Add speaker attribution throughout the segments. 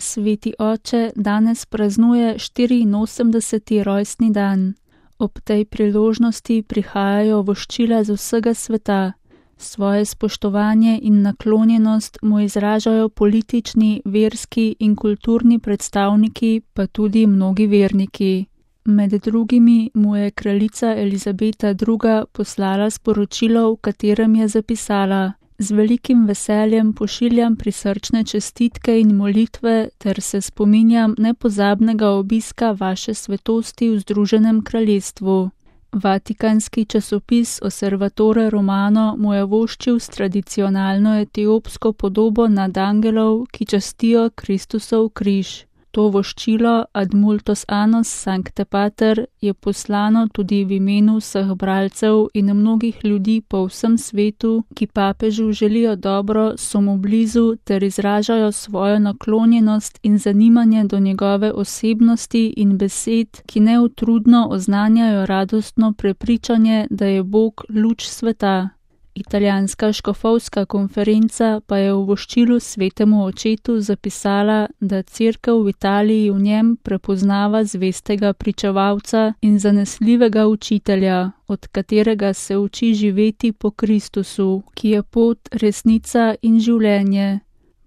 Speaker 1: Sveti oče danes praznuje 84. rojstni dan. Ob tej priložnosti prihajajo voščila z vsega sveta. Svoje spoštovanje in naklonjenost mu izražajo politični, verski in kulturni predstavniki, pa tudi mnogi verniki. Med drugimi mu je kraljica Elizabeta II. Poslala sporočilo, v katerem je zapisala: Z velikim veseljem pošiljam prisrčne čestitke in molitve ter se spominjam nepozabnega obiska vaše svetosti v Združenem kraljestvu. Vatikanski časopis Osservatore Romano mu je voščil s tradicionalno etiopsko podobo nadangelov, ki častijo Kristusov križ. To voščilo Ad multos annos Sancte Pater je poslano tudi v imenu vseh bralcev in mnogih ljudi po vsem svetu, ki papežu želijo dobro, so mu blizu ter izražajo svojo naklonjenost in zanimanje do njegove osebnosti in besed, ki neutrudno oznanjajo radostno prepričanje, da je Bog luč sveta. Italijanska škofovska konferenca pa je v voščilu svetemu očetu zapisala, da Cerkev v Italiji v njem prepoznava zvestega pričevalca in zanesljivega učitelja, od katerega se uči živeti po Kristusu, ki je pot, resnica in življenje.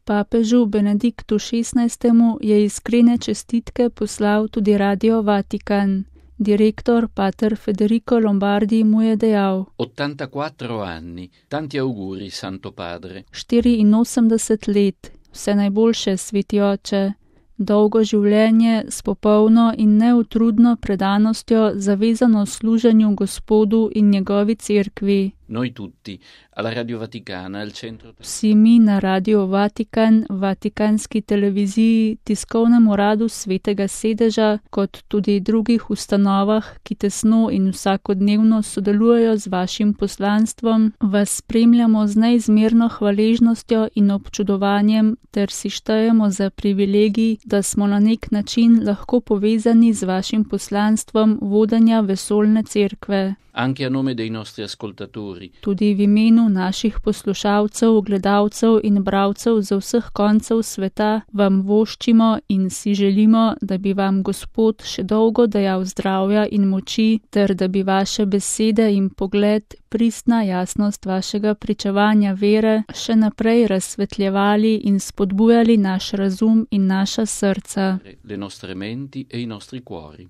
Speaker 1: Papežu Benediktu XVI. Je iskrene čestitke poslal tudi Radio Vatikan. Direktor pater Federico Lombardi mu je dejal:
Speaker 2: 84 anni, tanti auguri, Santo Padre.
Speaker 1: 84 let, vse najboljše, sveti oče. Dolgo življenje s popolno in neutrudno predanostjo zavezano služenju Gospodu in njegovi cerkvi.
Speaker 2: Noi tutti, alla Radio Vaticana, al centro...
Speaker 1: Vsi mi na Radio Vatikan, Vatikanski televiziji, tiskovnem uradu Svetega sedeža, kot tudi drugih ustanovah, ki tesno in vsakodnevno sodelujejo z vašim poslanstvom, vas spremljamo z neizmerno hvaležnostjo in občudovanjem ter si štejemo za privilegij, da smo na nek način lahko povezani z vašim poslanstvom vodenja vesoljne cerkve.
Speaker 2: Anche a nome dei nostri ascoltatori.
Speaker 1: Tudi v imenu naših poslušalcev, gledalcev in bralcev z vseh koncev sveta vam voščimo in si želimo, da bi vam Gospod še dolgo dajal zdravja in moči, ter da bi vaše besede in pogled, pristna jasnost vašega pričevanja vere še naprej razsvetljevali in spodbujali naš razum in naša srca.
Speaker 2: Le nostre menti e i nostri cuori.